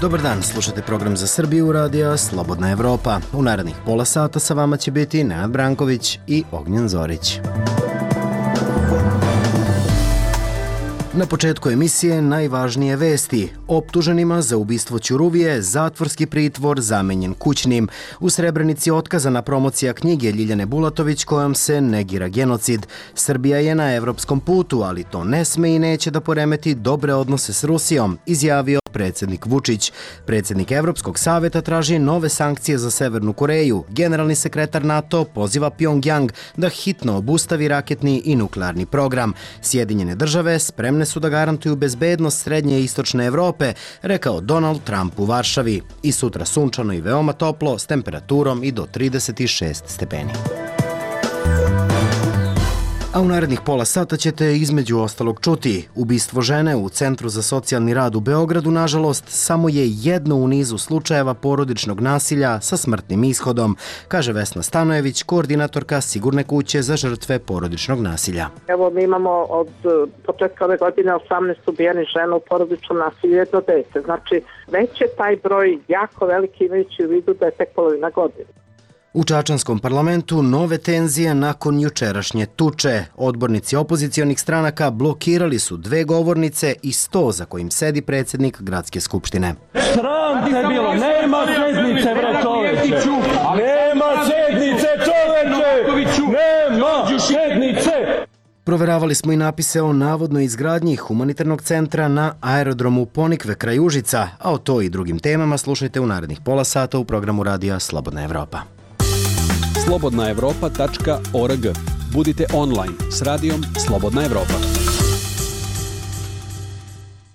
Dobar dan, slušate program za Srbiju radija Slobodna Evropa. U narednih pola sata sa vama će biti Nenad Branković i Ognjen Zorić. Na početku emisije najvažnije vesti. Optuženima za ubistvo Ćuruvije zatvorski pritvor zamenjen kućnim. U Srebrenici otkazana promocija knjige Ljiljane Bulatović kojom se negira genocid. Srbija je na evropskom putu, ali to ne sme i neće da poremeti dobre odnose s Rusijom, izjavio predsjednik Vučić. Predsjednik Evropskog saveta traži nove sankcije za Severnu Koreju. Generalni sekretar NATO poziva Pjongjang da hitno obustavi raketni i nuklearni program. Sjedinjene države spremne su da garantuju bezbednost srednje i istočne Evrope, rekao Donald Trump u Varšavi. I sutra sunčano i veoma toplo s temperaturom i do 36 stepeni. A u narednih pola sata ćete između ostalog čuti. Ubistvo žene u Centru za socijalni rad u Beogradu, nažalost, samo je jedno u nizu slučajeva porodičnog nasilja sa smrtnim ishodom, kaže Vesna Stanojević, koordinatorka Sigurne kuće za žrtve porodičnog nasilja. Evo, mi imamo od početka ove godine 18 ubijenih žena u porodičnom nasilju, jedno dete. Znači, već je taj broj jako veliki, imajući u vidu da je tek polovina godine. U Čačanskom parlamentu nove tenzije nakon jučerašnje tuče. Odbornici opozicionih stranaka blokirali su 2 govornice i sto za kojim sedi predsjednik Gradske skupštine. Sram te bilo, nema sednice bre čoveče, nema sednice čoveče, nema sednice. Proveravali smo i napise o navodnoj izgradnji humanitarnog centra na aerodromu Ponikve kraj Užica, a o to i drugim temama slušajte u narednih pola sata u programu radija Slobodna Evropa. slobodnaevropa.org. Budite online s radijom Slobodna Evropa.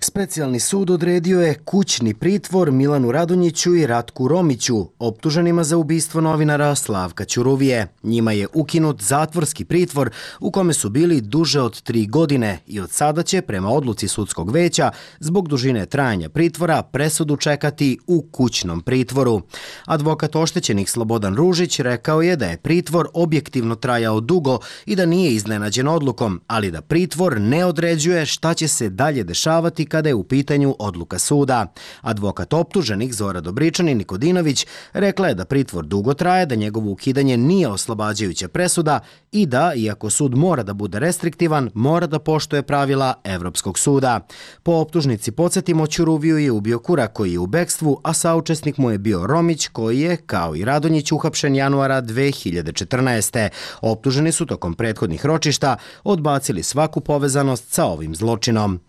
Specijalni sud odredio je kućni pritvor Milanu Radonjiću i Ratku Romiću, optuženima za ubistvo novinara Slavka Ćuruvije. Njima je ukinut zatvorski pritvor u kome su bili duže od 3 godine i od sada će, prema odluci sudskog veća, zbog dužine trajanja pritvora presudu čekati u kućnom pritvoru. Advokat oštećenih Slobodan Ružić rekao je da je pritvor objektivno trajao dugo i da nije iznenađen odlukom, ali da pritvor ne određuje šta će se dalje dešavati kada je u pitanju odluka suda. Advokat optuženih Zora Dobričan i Nikodinović rekla je da pritvor dugo traje, da njegovo ukidanje nije oslobađajuća presuda i da, iako sud mora da bude restriktivan, mora da poštuje pravila Evropskog suda. Po optužnici, podsjetimo, Ćuruviju je ubio Kura koji je u bekstvu, a saučesnik mu je bio Romić koji je, kao i Radonjić, uhapšen januara 2014. Optuženi su tokom prethodnih ročišta odbacili svaku povezanost sa ovim zločinom.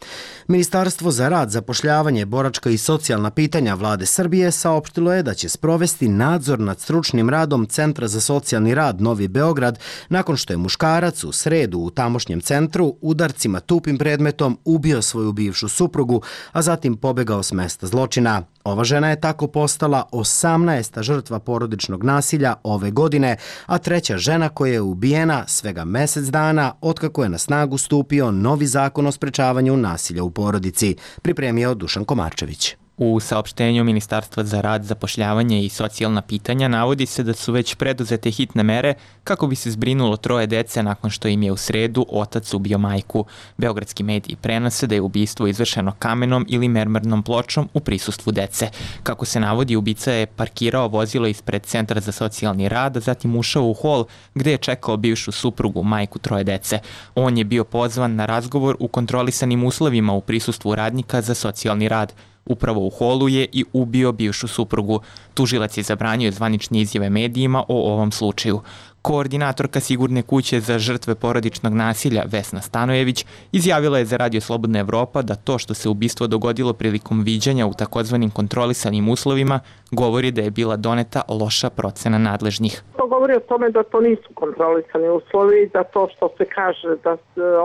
Ministarstvo za rad, zapošljavanje, boračka i socijalna pitanja Vlade Srbije saopštilo je da će sprovesti nadzor nad stručnim radom Centra za socijalni rad Novi Beograd nakon što je muškarac u sredu u tamošnjem centru udarcima tupim predmetom ubio svoju bivšu suprugu, a zatim pobegao s mesta zločina. Ova žena je tako postala 18. žrtva porodičnog nasilja ove godine, a 3. žena koja je ubijena svega mjesec dana otkako je na snagu stupio novi zakon o sprečavanju nasilja u porodici, pripremio Dušan Komarčević. U saopštenju Ministarstva za rad, zapošljavanje i socijalna pitanja navodi se da su već preduzete hitne mere kako bi se zbrinulo 3 dece nakon što im je u sredu otac ubio majku. Beogradski mediji prenose da je ubistvo izvršeno kamenom ili mermernom pločom u prisustvu dece. Kako se navodi, ubica je parkirao vozilo ispred Centra za socijalni rad, a zatim ušao u hol gde je čekao bivšu suprugu, majku 3 dece. On je bio pozvan na razgovor u kontrolisanim uslovima u prisustvu radnika za socijalni rad. Upravo u holu je i ubio bivšu suprugu. Tužilac je zabranio zvanične izjave medijima o ovom slučaju. Koordinatorka Sigurne kuće za žrtve porodičnog nasilja Vesna Stanojević izjavila je za Radio Slobodna Evropa da to što se ubistvo dogodilo prilikom viđanja u takozvanim kontrolisanim uslovima govori da je bila doneta loša procena nadležnih. To govori o tome da to nisu kontrolisani uslovi, da to što se kaže da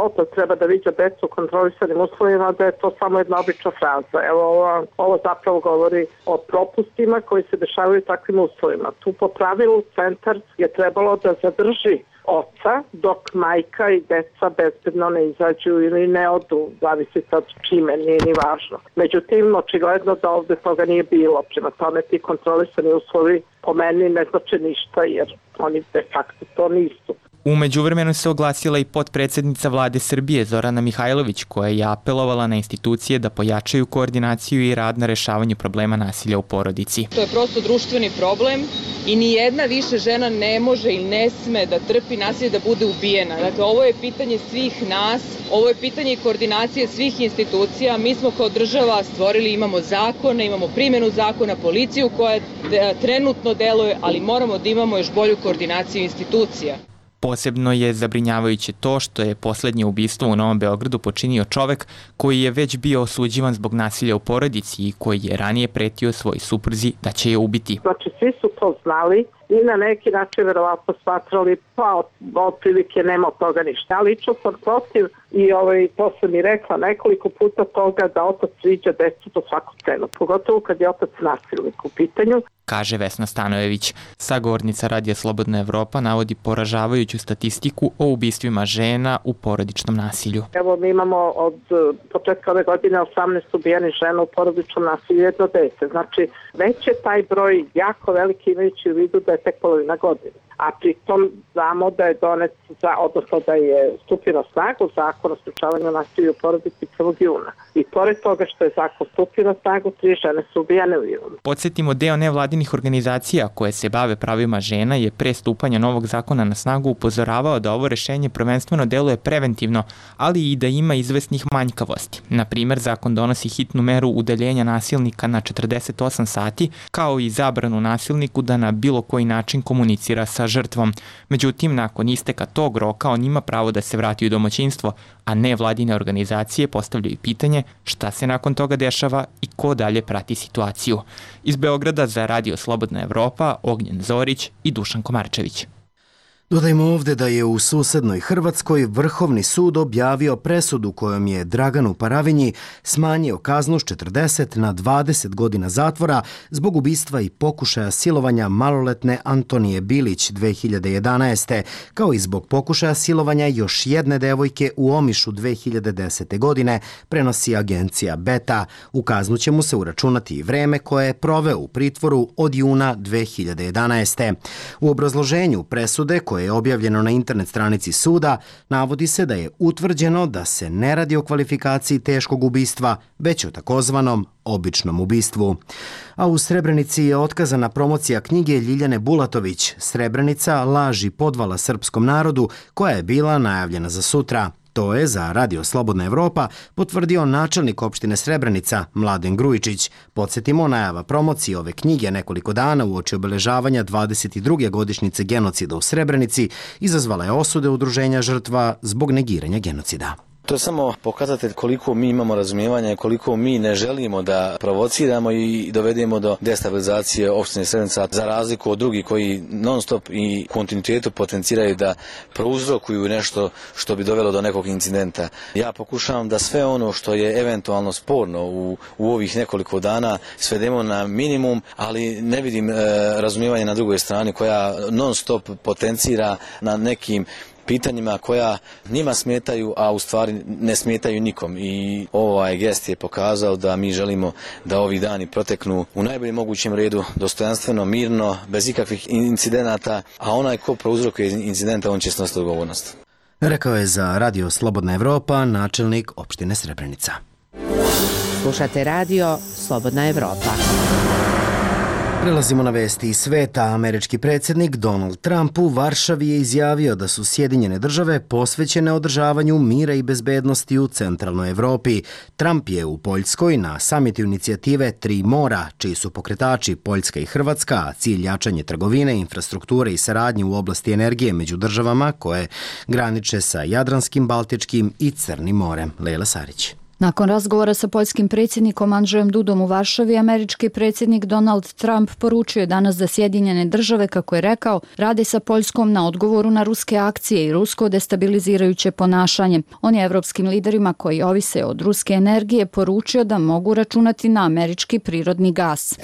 otac treba da viđa decu u kontrolisanim uslovima, da je to samo jedna obična fraza. Evo, ovo zapravo govori o propustima koji se dešavaju u takvim uslovima. Tu po pravilu centar je trebalo da zadrži oca dok majka i deca bezbedno ne izađu ili ne odu, zavisi sad čime, nije ni važno. Međutim, očigledno da ovde toga nije bilo. Prema tome, ti kontrolisani uslovi po meni ne znači ništa jer oni de facto to nisu. U međuvremenu se oglasila i potpredsednica vlade Srbije Zorana Mihajlović, koja je apelovala na institucije da pojačaju koordinaciju i rad na rešavanju problema nasilja u porodici. To je prosto društveni problem i ni jedna više žena ne može ili ne sme da trpi nasilje, da bude ubijena. Dakle, ovo je pitanje svih nas, ovo je pitanje koordinacije svih institucija. Mi smo kao država stvorili, imamo zakone, imamo primjenu zakona, policiju koja trenutno deluje, ali moramo da imamo još bolju koordinaciju institucija. Posebno je zabrinjavajuće to što je poslednje ubistvo u Novom Beogradu počinio čovek koji je već bio osuđivan zbog nasilja u porodici i koji je ranije pretio svoj supruzi da će je ubiti. Znači, svi su to znali i na neki način verovatno smatrali, pa otprilike nema od toga ništa. Ja lično sam protiv i to sam i rekla nekoliko puta toga da otac viđa decu po svaku cenu, pogotovo kad je otac nasilnik u pitanju, kaže Vesna Stanojević. Sagovornica Radija Slobodna Evropa navodi poražavajuću statistiku o ubistvima žena u porodičnom nasilju. Evo, mi imamo od početka ove godine 18 ubijenih žena u porodičnom nasilju, jedno dete. Znači, već je taj broj jako veliki, imajući u vidu da je tek polovina godine. A pritom znamo da je donet, odnosno da je stupio na snagu zakon o sprečavanju nasilja u porodici 1. juna. I pored toga što je zakon stupio na snagu, 3 žene su ubijene u junu. Podsjetimo, deo nevladinih organizacija koje se bave pravima žena je pre stupanja novog zakona na snagu upozoravao da ovo rešenje prvenstveno deluje preventivno, ali i da ima izvesnih manjkavosti. Na primer, zakon donosi hitnu meru udaljenja nasilnika na 48 sati, kao i zabranu nasilniku da na bilo koji način komunicira sa žrtvom. Međutim, nakon isteka tog roka on ima pravo da se vrati u domaćinstvo, a nevladine organizacije postavljaju pitanje šta se nakon toga dešava i ko dalje prati situaciju. Iz Beograda za Radio Slobodna Evropa, Ognjen Zorić i Dušan Komarčević. Dodajmo ovde da je u susednoj Hrvatskoj Vrhovni sud objavio presudu kojom je Draganu Paravinji smanjio kaznu s 40 na 20 godina zatvora zbog ubistva i pokušaja silovanja maloletne Antonije Bilić 2011. kao i zbog pokušaja silovanja još jedne devojke u Omišu 2010. godine, prenosi agencija Beta. U kaznu će mu se uračunati i vreme koje je proveo u pritvoru od juna 2011. U obrazloženju presude koje je objavljeno na internet stranici suda, navodi se da je utvrđeno da se ne radi o kvalifikaciji teškog ubistva, već o takozvanom običnom ubistvu. A u Srebrenici je otkazana promocija knjige Ljiljane Bulatović Srebrenica, laž i podvala srpskom narodu, koja je bila najavljena za sutra. To je za Radio Slobodna Evropa potvrdio načelnik opštine Srebrenica Mladen Grujičić. Podsjetimo, najava promocije ove knjige nekoliko dana uoči obeležavanja 22. godišnjice genocida u Srebrenici izazvala je osude udruženja žrtva zbog negiranja genocida. To je samo pokazatelj koliko mi imamo razumijevanja i koliko mi ne želimo da provociramo i dovedemo do destabilizacije opštine Srebrenica, za razliku od drugih koji non stop i kontinuitetu potenciraju da prouzrokuju nešto što bi dovelo do nekog incidenta. Ja pokušavam da sve ono što je eventualno sporno u ovih nekoliko dana svedemo na minimum, ali ne vidim razumijevanje na drugoj strani koja non stop potencira na nekim pitanjima koja njima smetaju, a u stvari ne smetaju nikom. I ovaj gest je pokazao da mi želimo da ovi dani proteknu u najboljem mogućem redu, dostojanstveno, mirno, bez ikakvih incidenata, a onaj ko prouzrokuje incidenta, on će snositi odgovornost. Rekao je za Radio Slobodna Evropa načelnik opštine Srebrenica. Slušate Radio Slobodna Evropa. Prelazimo na vesti iz sveta. Američki predsjednik Donald Trump u Varšavi je izjavio da su Sjedinjene države posvećene održavanju mira i bezbednosti u centralnoj Evropi. Trump je u Poljskoj na samitu inicijative Tri mora, čiji su pokretači Poljska i Hrvatska, a cilj jačanje trgovine, infrastrukture i saradnje u oblasti energije među državama koje graniče sa Jadranskim, Baltičkim i Crnim morem. Lejla Sarić. Nakon razgovora sa poljskim predsjednikom Andrzejom Dudom u Varšavi, američki predsjednik Donald Trump poručio je danas da Sjedinjene države, kako je rekao, rade sa Poljskom na odgovoru na ruske akcije i rusko destabilizirajuće ponašanje. On je evropskim liderima koji ovise od ruske energije poručio da mogu računati na američki prirodni gas.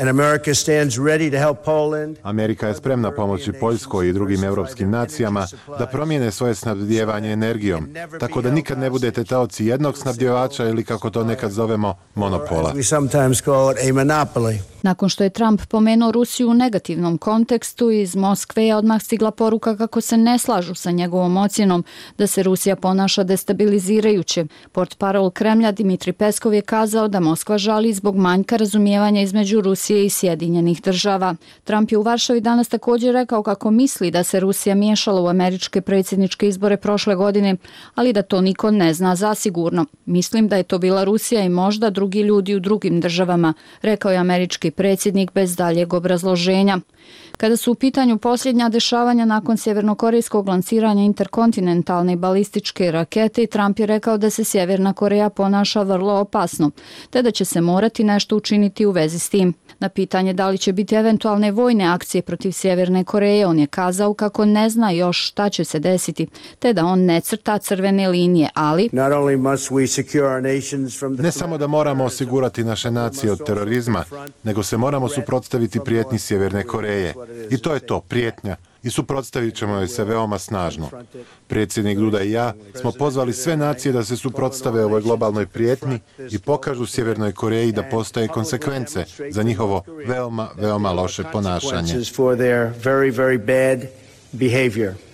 Amerika je spremna pomoći Poljskoj i drugim evropskim nacijama da promijene svoje snabdijevanje energijom, tako da nikad ne budete taoci jednog snabdjevača ili, kako to nekad zovemo, monopola. Nakon što je Trump pomenuo Rusiju u negativnom kontekstu, iz Moskve je odmah stigla poruka kako se ne slažu sa njegovom ocjenom da se Rusija ponaša destabilizirajuće. Portparol Kremlja Dmitri Peskov je kazao da Moskva žali zbog manjka razumijevanja između Rusije i Sjedinjenih država. Trump je u Varšavi danas također rekao kako misli da se Rusija miješala u američke predsjedničke izbore prošle godine, ali da to niko ne zna zasigurno. Mislim da je to bila Rusija i možda drugi ljudi u drugim državama, rekao je američki predsjednik bez daljeg obrazloženja. Kada su u pitanju posljednja dešavanja nakon sjevernokorejskog lansiranja interkontinentalne balističke rakete, Trump je rekao da se Sjeverna Koreja ponaša vrlo opasno, te da će se morati nešto učiniti u vezi s tim. Na pitanje da li će biti eventualne vojne akcije protiv Sjeverne Koreje, on je kazao kako ne zna još šta će se desiti, te da on ne crta crvene linije, ali ne samo da moramo osigurati naše nacije od terorizma, nego se moramo suprotstaviti prijetnji Sjeverne Koreje. I to je to, prijetnja. I suprotstavit ćemo joj se veoma snažno. Predsjednik Duda i ja smo pozvali sve nacije da se suprotstave ovoj globalnoj prijetnji i pokažu Sjevernoj Koreji da postoje konsekvence za njihovo veoma loše ponašanje.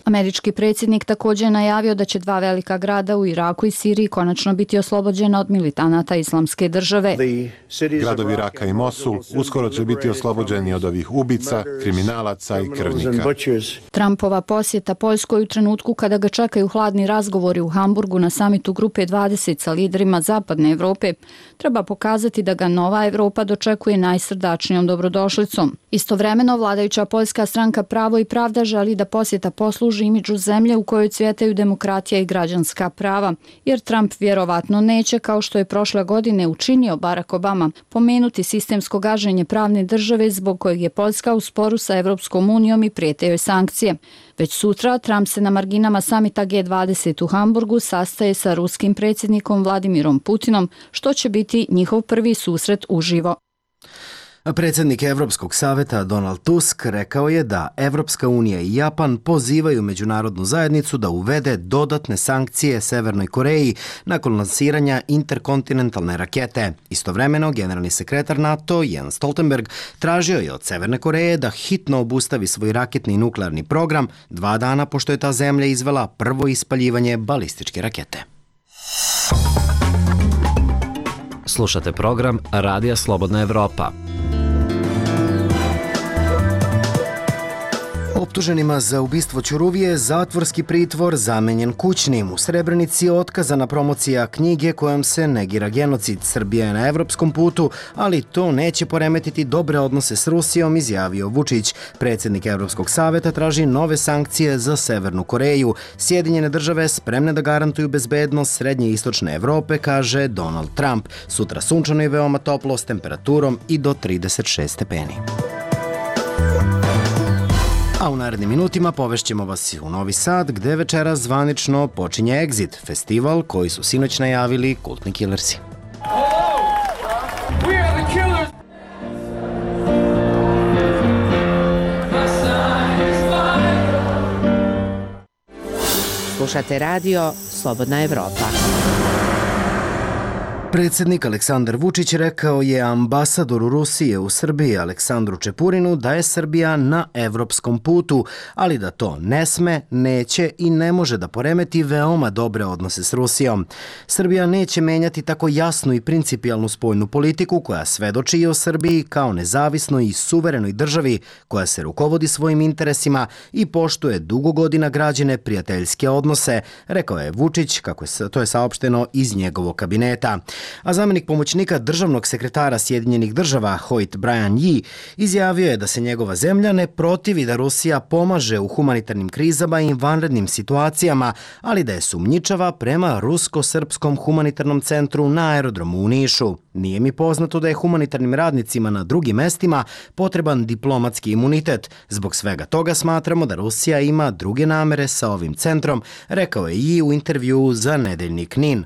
Američki predsjednik također je najavio da će 2 velika grada u Iraku i Siriji konačno biti oslobođena od militanata Islamske države. Gradovi Iraka i Mosul uskoro će biti oslobođeni od ovih ubica, kriminalaca i krvnika. Trumpova posjeta Poljskoj u trenutku kada ga čekaju hladni razgovori u Hamburgu na samitu Grupe 20 sa liderima Zapadne Evrope treba pokazati da ga nova Evropa dočekuje najsrdačnijom dobrodošlicom. Istovremeno, vladajuća poljska stranka Pravo i pravda želi da posjeta posluži imidžu zemlje u kojoj cvjetaju demokratija i građanska prava, jer Trump vjerovatno neće, kao što je prošle godine učinio Barack Obama, pomenuti sistemsko gaženje pravne države zbog kojeg je Poljska u sporu sa Evropskom unijom i prijete joj sankcije. Već sutra Trump se na marginama samita G20 u Hamburgu sastaje sa ruskim predsjednikom Vladimirom Putinom, što će biti njihov prvi susret uživo. Predsjednik Evropskog saveta Donald Tusk rekao je da Evropska unija i Japan pozivaju međunarodnu zajednicu da uvede dodatne sankcije Severnoj Koreji nakon lansiranja interkontinentalne rakete. Istovremeno, generalni sekretar NATO Jens Stoltenberg tražio je od Severne Koreje da hitno obustavi svoj raketni i nuklearni program 2 dana pošto je ta zemlja izvela prvo ispaljivanje balističke rakete. Slušate program Radija Slobodna Evropa. Optuženima za ubistvo Ćuruvije zatvorski pritvor zamenjen kućnim. U Srebrenici je otkazana promocija knjige kojom se negira genocid. Srbija je na evropskom putu, ali to neće poremetiti dobre odnose s Rusijom, izjavio Vučić. Predsjednik Evropskog saveta traži nove sankcije za Severnu Koreju. Sjedinjene države spremne da garantuju bezbednost srednje i istočne Evrope, kaže Donald Trump. Sutra sunčano i veoma toplo s temperaturom i do 36 stepeni. A u narednim minutima povešćemo vas u Novi Sad, gde večera zvanično počinje Exit, festival koji su sinoć najavili kultni killersi. Slušate radio Slobodna Evropa. Predsjednik Aleksandar Vučić rekao je ambasadoru Rusije u Srbiji Aleksandru Čepurinu da je Srbija na evropskom putu, ali da to ne sme, neće i ne može da poremeti veoma dobre odnose s Rusijom. Srbija neće menjati tako jasnu i principijalnu spoljnu politiku koja svedoči i o Srbiji kao nezavisnoj i suverenoj državi koja se rukovodi svojim interesima i poštuje dugo godina građene prijateljske odnose, rekao je Vučić, kako je to saopšteno iz njegovog kabineta. A zamjenik pomoćnika državnog sekretara Sjedinjenih država Hoyt Brian Yee izjavio je da se njegova zemlja ne protivi da Rusija pomaže u humanitarnim krizama i vanrednim situacijama, ali da je sumnjičava prema Rusko-srpskom humanitarnom centru na aerodromu u Nišu. Nije mi poznato da je humanitarnim radnicima na drugim mestima potreban diplomatski imunitet. Zbog svega toga smatramo da Rusija ima druge namere sa ovim centrom, rekao je Yee u intervjuu za nedeljnik NIN.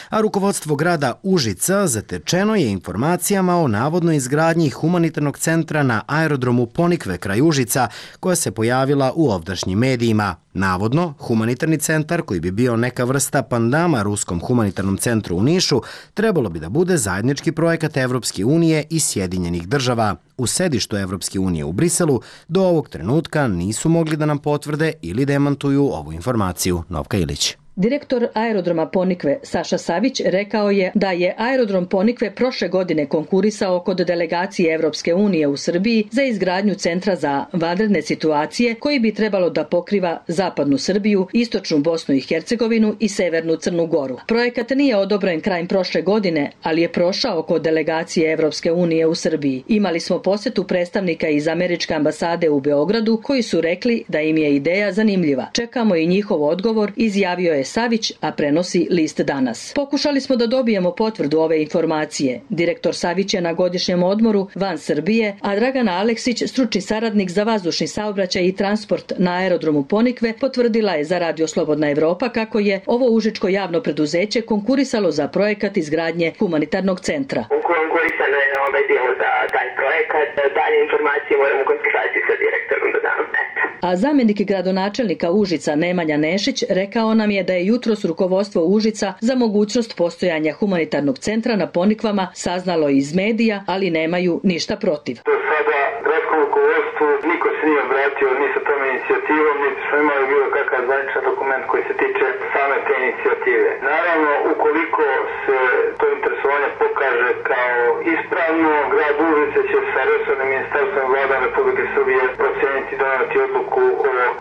A rukovodstvo grada Užica zatečeno je informacijama o navodnoj izgradnji humanitarnog centra na aerodromu Ponikve kraj Užica, koja se pojavila u ovdašnjim medijima. Navodno, humanitarni centar, koji bi bio neka vrsta pandama Ruskom humanitarnom centru u Nišu, trebalo bi da bude zajednički projekat Evropske unije i Sjedinjenih država. U sedištu Evropske unije u Briselu do ovog trenutka nisu mogli da nam potvrde ili demantuju ovu informaciju. Novka Ilić. Direktor aerodroma Ponikve Saša Savić rekao je da je aerodrom Ponikve prošle godine konkurisao kod delegacije Evropske unije u Srbiji za izgradnju centra za vanredne situacije koji bi trebalo da pokriva zapadnu Srbiju, istočnu Bosnu i Hercegovinu i severnu Crnu Goru. Projekat nije odobren krajem prošle godine, ali je prošao kod delegacije Evropske unije u Srbiji. Imali smo posetu predstavnika iz američke ambasade u Beogradu koji su rekli da im je ideja zanimljiva. Čekamo i njihov odgovor, izjavio je Savić, a prenosi List danas. Pokušali smo da dobijemo potvrdu ove informacije. Direktor Savić je na godišnjem odmoru van Srbije, a Dragana Aleksić, stručni saradnik za vazdušni saobraćaj i transport na aerodromu Ponikve, potvrdila je za Radio Slobodna Evropa kako je ovo užičko javno preduzeće konkurisalo za projekat izgradnje humanitarnog centra. Konkurisano je bilo za taj projekat. Dalje informacije moramo u konsultaciji sa direktorom da dam. A zamjenik gradonačelnika Užica Nemanja Nešić rekao nam je da je jutros rukovodstvo Užica za mogućnost postojanja humanitarnog centra na Ponikvama saznalo iz medija, ali nemaju ništa protiv. Do sada gradskom rukovodstvu niko se nije obratio ni sa tom inicijativom, niti smo imali bilo kakav zvaničan dokument koji se tiče same te inicijative. Naravno, ukoliko se to interesovanje pokaže kao ispravno, grad Užice će sa resornim ministarstvom i vladom Republike Srbije proceniti i doneti odluku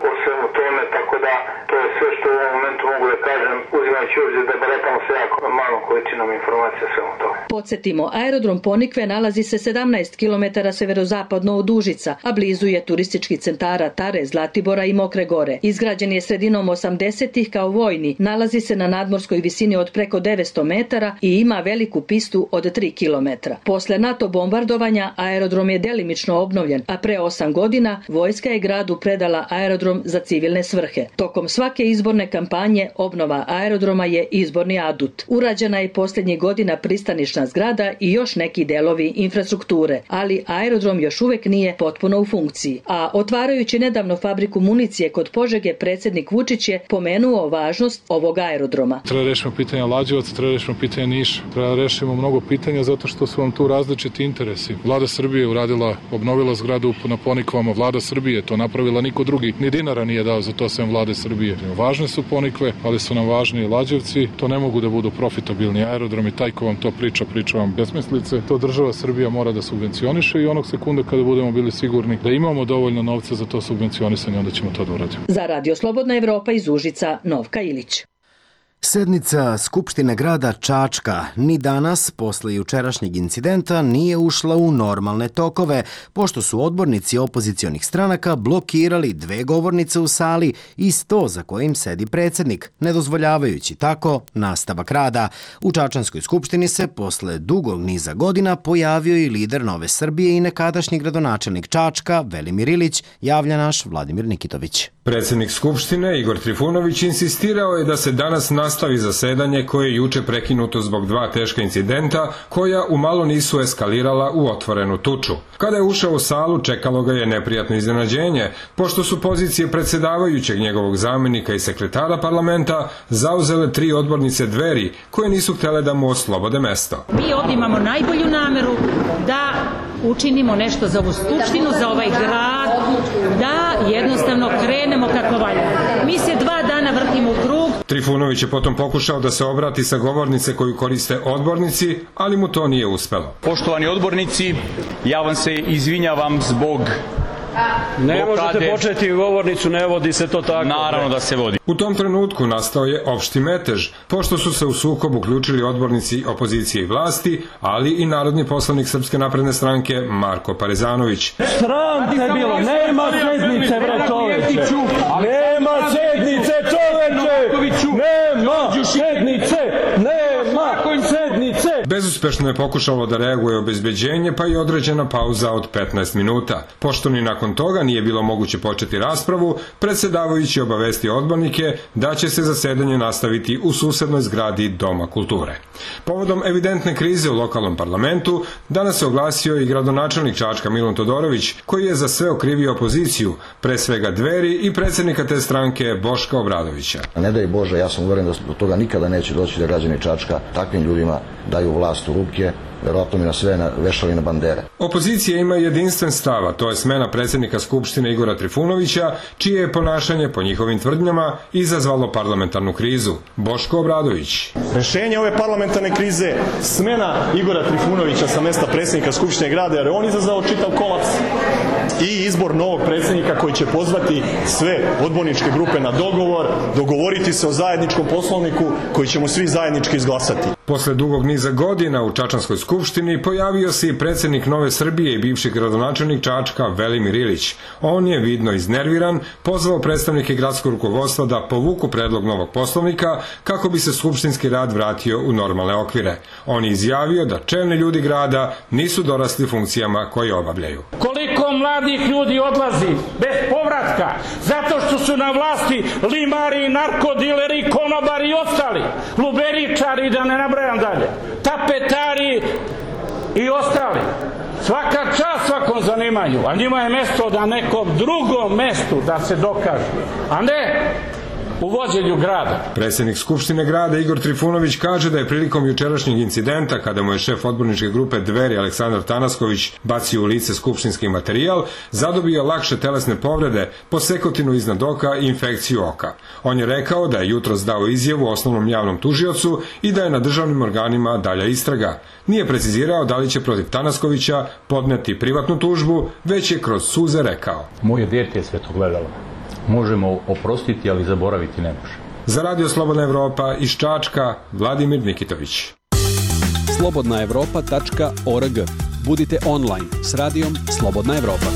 o svemu tome, tako da to je sve što u ovom momentu mogu da kažem, uzimajući obzir da baratamo se jako malom količinom informacija o svemu tome. Podsjetimo, aerodrom Ponikve nalazi se 17 km severozapadno od Užica, a blizu je turističkih centara Tare, Zlatibora i Mokre Gore. Izgrađen je sredinom 80-ih kao vojni, nalazi se na nadmorskoj visini od preko 900 metara i ima veliku pistu od 3 km. Posle NATO bombardovanja aerodrom je delimično obnovljen, a pre 8 godina vojska je gradu predala aerodrom za civilne svrhe. Tokom svake izborne kampanje obnova aerodroma je izborni adut. Urađena je posljednjih godina pristanišna zgrada i još neki delovi infrastrukture, ali aerodrom još uvek nije potpuno u funkciji. A otvarajući nedavno fabriku municije kod Požege, predsjednik Vučić je pomenuo važnost ovog aerodroma. Treba rešimo pitanja Lađevaca, treba rešimo pitanja Niša, treba rešimo mnogo pitanja zato što su vam tu različiti interesi. Vlada Srbije je uradila, obnovila zgradu na Ponikvama, Vlada Srbije to napravila, niko drugi ni dinara nije dao za to sem Vlade Srbije. Važne su Ponikve, ali su nam važni i Lađevci. To ne mogu da budu profitabilni aerodromi. Taj ko vam to priča vam besmislice. To država Srbija mora da subvencioniše i onog sekunda kada budemo bili sigurni da imamo dovoljno novca za to subvencionisanje, onda ćemo to da uradimo. Za Radio Slobodna Evropa iz Užica, Novka Ilić. Sednica Skupštine grada Čačka ni danas, posle jučerašnjeg incidenta, nije ušla u normalne tokove, pošto su odbornici opozicionih stranaka blokirali 2 govornice u sali i sto za kojim sedi predsjednik, ne dozvoljavajući tako nastavak rada. U Čačanskoj skupštini se posle dugog niza godina pojavio i lider Nove Srbije i nekadašnji gradonačelnik Čačka, Velimir Ilić, javlja naš Vladimir Nikitović. Predsjednik Skupštine, Igor Trifunović, insistirao je da se danas nastavi zasedanje koje je juče prekinuto zbog 2 teška incidenta koja umalo nisu eskalirala u otvorenu tuču. Kada je ušao u salu, čekalo ga je neprijatno iznenađenje, pošto su pozicije predsjedavajućeg, njegovog zamenika i sekretara parlamenta zauzele 3 odbornice Dveri koje nisu htjele da mu oslobode mesto. Mi ovdje imamo najbolju nameru da učinimo nešto za ovu skupštinu, za ovaj grad, da jednostavno krenemo kako valja. Mi se 2 dana vrtimo u krug. Trifunović je potom pokušao da se obrati sa govornice koju koriste odbornici, ali mu to nije uspelo. Poštovani odbornici, ja vam se izvinjavam zbog Ne možete početi govornicu, ne vodi se to tako. Naravno da se vodi. U tom trenutku nastao je opšti metež, pošto su se u sukob uključili odbornici opozicije i vlasti, ali i narodni poslanik Srpske napredne stranke Marko Parezanović. Sram te bilo, nema sednice, bre čoveče! Nema sednice, čoveče! Nema sednice! Nema sednice! Bez Bezuspešno je pokušalo da reaguje obezbeđenje, pa i određena pauza od 15 minuta. Pošto ni nakon toga nije bilo moguće početi raspravu, predsjedavajući obavestio odbornike da će se zasedanje nastaviti u susednoj zgradi Doma kulture. Povodom evidentne krize u lokalnom parlamentu, danas se oglasio i gradonačelnik Čačka Milun Todorović, koji je za sve okrivio opoziciju, pre svega Dveri i predsjednika te stranke Boška Obradovića. Ne daj Bože, ja sam uveren da do toga nikada neće doći da građani Čačka takvim ljudima daju vlast u ruke, verovatno mi na sve vešali na bandere. Opozicija ima jedinstven stav, a to je smena predsjednika Skupštine Igora Trifunovića, čije je ponašanje, po njihovim tvrdnjama, izazvalo parlamentarnu krizu. Boško Obradović. Rešenje ove parlamentarne krize, smena Igora Trifunovića sa mesta predsjednika Skupštine grada, jer je on izazvao čitav kolaps, i izbor novog predsjednika koji će pozvati sve odborničke grupe na dogovor, dogovoriti se o zajedničkom poslovniku koji ćemo svi zajednički izglasati. Posle dugog niza godina u Čačanskoj skupštini pojavio se i predsjednik Nove Srbije i bivši gradonačelnik Čačka Velimir Ilić. On je vidno iznerviran, pozvao predstavnike gradskog rukovodstva da povuku predlog novog poslovnika kako bi se skupštinski rad vratio u normalne okvire. On je izjavio da čelni ljudi grada nisu dorasli funkcijama koje obavljaju. Koliko mladih ljudi odlazi bez povratka zato što su na vlasti limari, narkodileri, konobari i ostali, luberičari, da ne nabrajam dalje, tapetari i ostali. Svaka čast svakom zanimanju, a njima je mesto da nekom drugom mestu da se dokaže, a ne u vođenju grada. Predsjednik Skupštine grada Igor Trifunović kaže da je prilikom jučerašnjeg incidenta, kada mu je šef odborničke grupe Dveri Aleksandar Tanasković bacio u lice skupštinski materijal, zadobio lakše telesne povrede, posekotinu iznad oka i infekciju oka. On je rekao da je jutros dao izjavu osnovnom javnom tužiocu i da je na državnim organima dalja istraga. Nije precizirao da li će protiv Tanaskovića podneti privatnu tužbu, već je kroz suze rekao: Moje dijete je sve to gledalo. Možemo oprostiti, ali zaboraviti ne može. Za Radio Slobodna Evropa iz Čačka, Vladimir Nikitović. slobodnaevropa.org. Budite online s radijom Slobodna Evropa.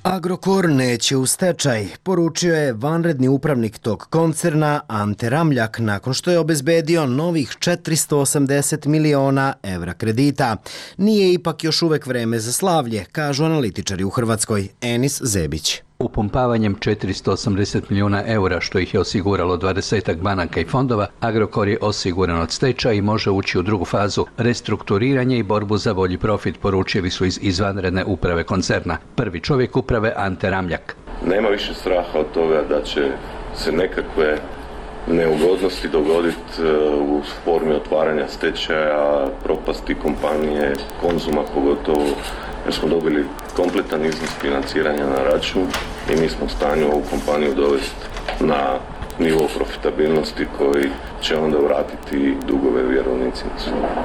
Agrokor neće u stečaj, poručio je vanredni upravnik tog koncerna Ante Ramljak nakon što je obezbedio novih 480 miliona evra kredita. Nije ipak još uvek vreme za slavlje, kažu analitičari u Hrvatskoj. Enis Zebić. Upumpavanjem 480 milijuna eura, što ih je osiguralo 20 banaka i fondova, Agrokor je osiguran od stečaja i može ući u drugu fazu, restrukturiranje i borbu za bolji profit, poručili su iz izvanredne uprave koncerna. Prvi čovjek uprave Ante Ramljak. Nema više straha od toga da će se nekakve neugodnosti dogoditi u formi otvaranja stečaja, propasti kompanije, Konzuma pogotovo, jer smo dobili kompletan iznos financiranja na račun i mi smo u stanju ovu kompaniju dovesti na nivo profitabilnosti koji će onda vratiti dugove vjerovnicima.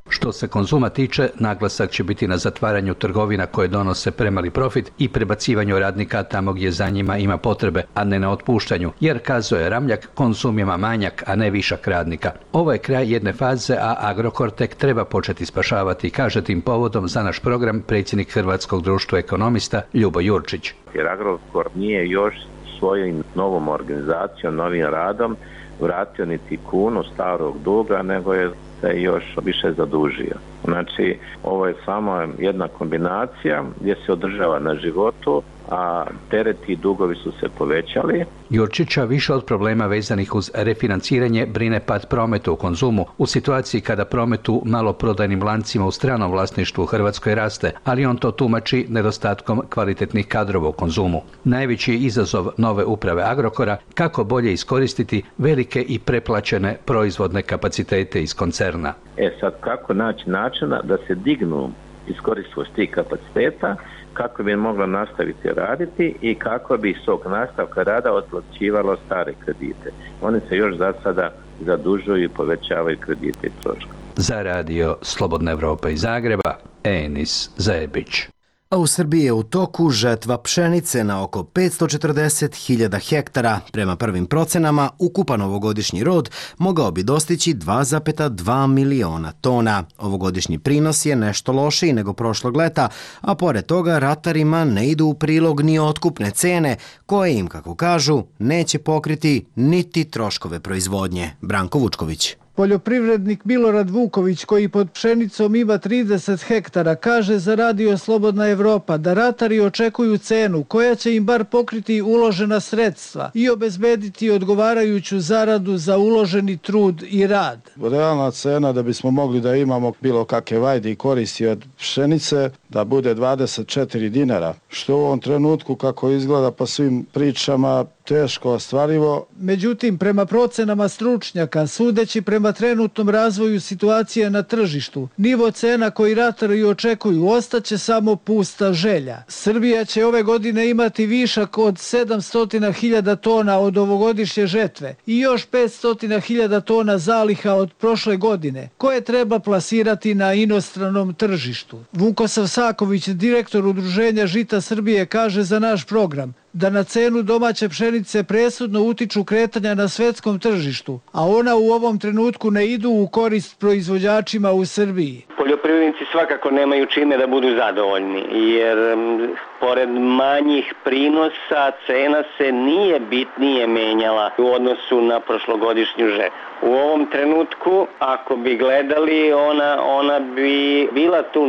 Što se Konzuma tiče, naglasak će biti na zatvaranju trgovina koje donose premali profit i prebacivanju radnika tamo gdje za njima ima potrebe, a ne na otpuštanju, jer, kazuje Ramljak, Konzum ima manjak, a ne višak radnika. Ovo je kraj jedne faze, a Agrokor tek treba početi spašavati, kaže tim povodom za naš program predsjednik Hrvatskog društva ekonomista Ljubo Jurčić. Jer Agrokor nije još svojom novom organizacijom, novim radom vratio niti kunu starog duga, nego je se još više zadužio. Znači, ovo je samo jedna kombinacija gdje se održava na životu, a tereti i dugovi su se povećali. Jurčića više od problema vezanih uz refinanciranje brine pad prometa u Konzumu u situaciji kada promet u maloprodajnim lancima u stranom vlasništvu u Hrvatskoj raste, ali on to tumači nedostatkom kvalitetnih kadrova u Konzumu. Najveći izazov nove uprave Agrokora kako bolje iskoristiti velike i preplaćene proizvodne kapacitete iz koncerna. Sad kako naći načina da se dignu iskoristivost tih kapaciteta, kako bi mogla nastaviti raditi i kako bi iz tog nastavka rada otplaćivalo stare kredite. Oni se još za sada zadužuju i povećavaju kredite i troškove. Za Radio Slobodna Evropa iz Zagreba, Enis Zebić. A u Srbiji je u toku žetva pšenice na oko 540.000 hektara. Prema prvim procenama, ukupan ovogodišnji rod mogao bi dostići 2,2 miliona tona. Ovogodišnji prinos je nešto lošiji nego prošlog leta, a pored toga ratarima ne idu u prilog ni otkupne cene, koje im, kako kažu, neće pokriti niti troškove proizvodnje. Branko Vučković. Poljoprivrednik Milorad Vuković, koji pod pšenicom ima 30 hektara, kaže za Radio Slobodna Evropa da ratari očekuju cenu koja će im bar pokriti uložena sredstva i obezbediti odgovarajuću zaradu za uloženi trud i rad. Realna cena da bismo mogli da imamo bilo kakve vajde i koristi od pšenice da bude 24 dinara, što u ovom trenutku kako izgleda po svim pričama teško ostvarivo. Međutim, prema procenama stručnjaka, sudeći prema trenutnom razvoju situacije na tržištu, nivo cena koji ratari očekuju ostaće samo pusta želja. Srbija će ove godine imati višak od 700.000 tona od ovogodišnje žetve i još 500.000 tona zaliha od prošle godine, koje treba plasirati na inostranom tržištu. Vukosav Saković, direktor Udruženja Žita Srbije, kaže za naš program da na cenu domaće pšenice presudno utiču kretanja na svetskom tržištu, a ona u ovom trenutku ne idu u korist proizvođačima u Srbiji. Poljoprivrednici svakako nemaju čime da budu zadovoljni, jer pored manjih prinosa cena se nije bitnije menjala u odnosu na prošlogodišnju žetvu. U ovom trenutku, ako bi gledali, ona bi bila tu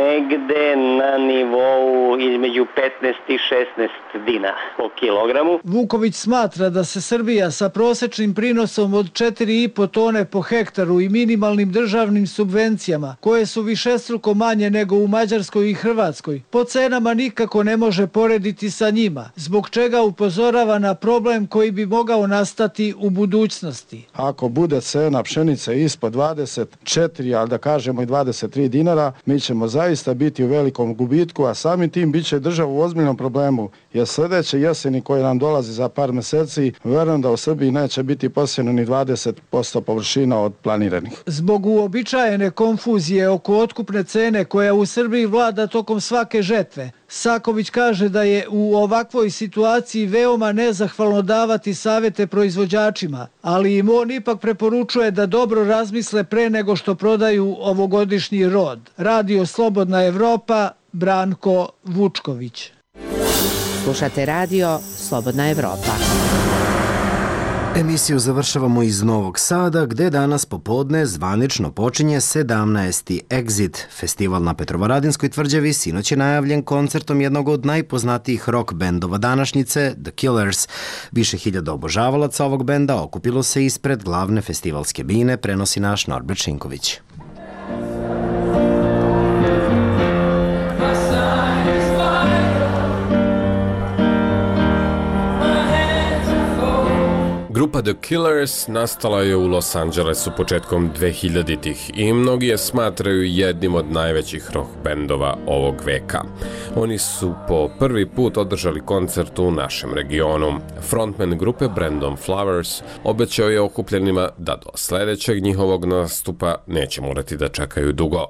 negde na nivou između 15 i 16 dinara po kilogramu. Vuković smatra da se Srbija sa prosečnim prinosom od 4,5 tone po hektaru i minimalnim državnim subvencijama, koje su višestruko manje nego u Mađarskoj i Hrvatskoj, po cenama nikako ne može porediti sa njima, zbog čega upozorava na problem koji bi mogao nastati u budućnosti. Ako bude cena pšenice ispod 24, ali da kažemo i 23 dinara, mi ćemo zaista biti u velikom gubitku, a samim tim bit će država u ozbiljnom problemu, jer sljedeće jeseni koje nam dolazi za par meseci, verujem da u Srbiji neće biti posijeno ni 20% površina od planiranih. Zbog uobičajene konfuzije oko otkupne cene koja u Srbiji vlada tokom svake žetve, Saković kaže da je u ovakvoj situaciji veoma nezahvalno davati savete proizvođačima, ali im on ipak preporučuje da dobro razmisle pre nego što prodaju ovogodišnji rod. Radio Slobodna Evropa, Branko Vučković. Slušate Radio Slobodna Evropa. Emisiju završavamo iz Novog Sada, gde danas popodne zvanično počinje 17. Exit. Festival na Petrovaradinskoj tvrđavi sinoć je najavljen koncertom jednog od najpoznatijih rock bendova današnjice, The Killers. Više hiljada obožavalaca ovog benda okupilo se ispred glavne festivalske bine, prenosi naš Norbert Šinković. Grupa The Killers nastala je u Los Angelesu početkom 2000-ih i mnogi je smatraju jednim od najvećih rock bendova ovog veka. Oni su po prvi put održali koncert u našem regionu. Frontman grupe Brandon Flowers obećao je okupljenima da do sledećeg njihovog nastupa neće morati da čekaju dugo.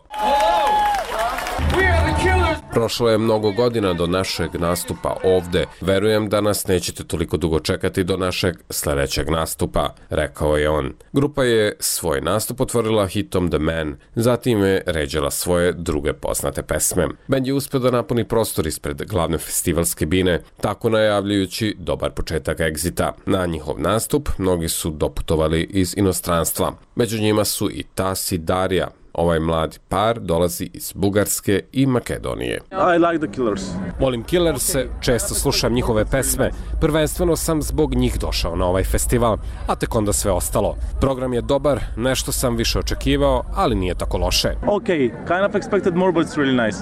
Prošlo je mnogo godina do našeg nastupa ovde. Verujem da nas nećete toliko dugo čekati do našeg sledećeg nastupa, rekao je on. Grupa je svoj nastup otvorila hitom The Man, zatim je ređala svoje druge poznate pesme. Bend je uspeo da napuni prostor ispred glavne festivalske bine, tako najavljujući dobar početak Exita. Na njihov nastup mnogi su doputovali iz inostranstva. Među njima su i Tas i Darija. Ovaj mladi par dolazi iz Bugarske i Makedonije. I like the Killers. Volim Killerse, često slušam njihove pesme. Prvenstveno sam zbog njih došao na ovaj festival, a tek onda sve ostalo. Program je dobar, nešto sam više očekivao, ali nije tako loše. Okay, kind of expected more, but it's really nice.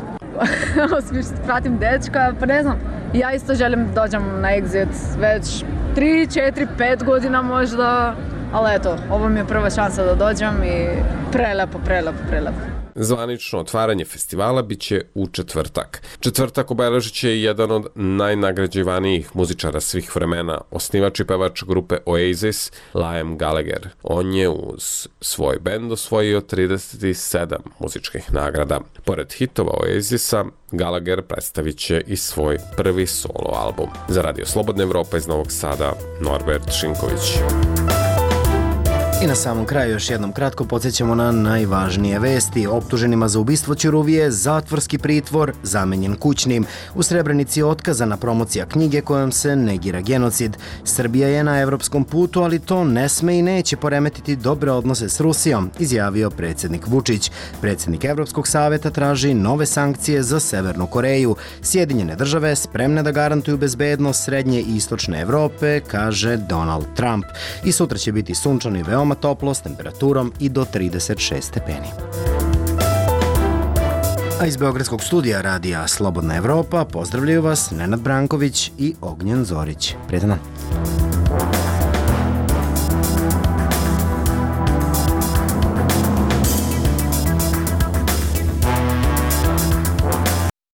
Smiješno pratim dečka, pa ne znam, ja isto želim dođem na Exit već 3, 4, 5 godina možda. Ali eto, ovo mi je prva šansa da dođem i prelepo. Zvanično otvaranje festivala biće u četvrtak. Četvrtak obeležit će jedan od najnagrađivanijih muzičara svih vremena, osnivač i pevač grupe Oasis, Liam Gallagher. On je uz svoj bend osvojio 37 muzičkih nagrada. Pored hitova Oasisa, Gallagher predstavit će i svoj prvi solo album. Za Radio Slobodna Evropa iz Novog Sada, Norbert Šinković. I na samom kraju još jednom kratko podsjećamo na najvažnije vesti. Optuženima za ubistvo Ćuruvije zatvorski pritvor zamenjen kućnim. U Srebrenici otkazana promocija knjige kojom se negira genocid. Srbija je na evropskom putu, ali to ne sme i neće poremetiti dobre odnose s Rusijom, izjavio predsjednik Vučić. Predsjednik Evropskog saveta traži nove sankcije za Severnu Koreju. Sjedinjene države spremne da garantuju bezbednost srednje i istočne Evrope, kaže Donald Trump. I sutra će biti sunčano i veoma toplo s temperaturom i do 36 stepeni. A iz Beogradskog studija radija Slobodna Evropa pozdravljaju vas Nenad Branković i Ognjen Zorić. Prijetan dan.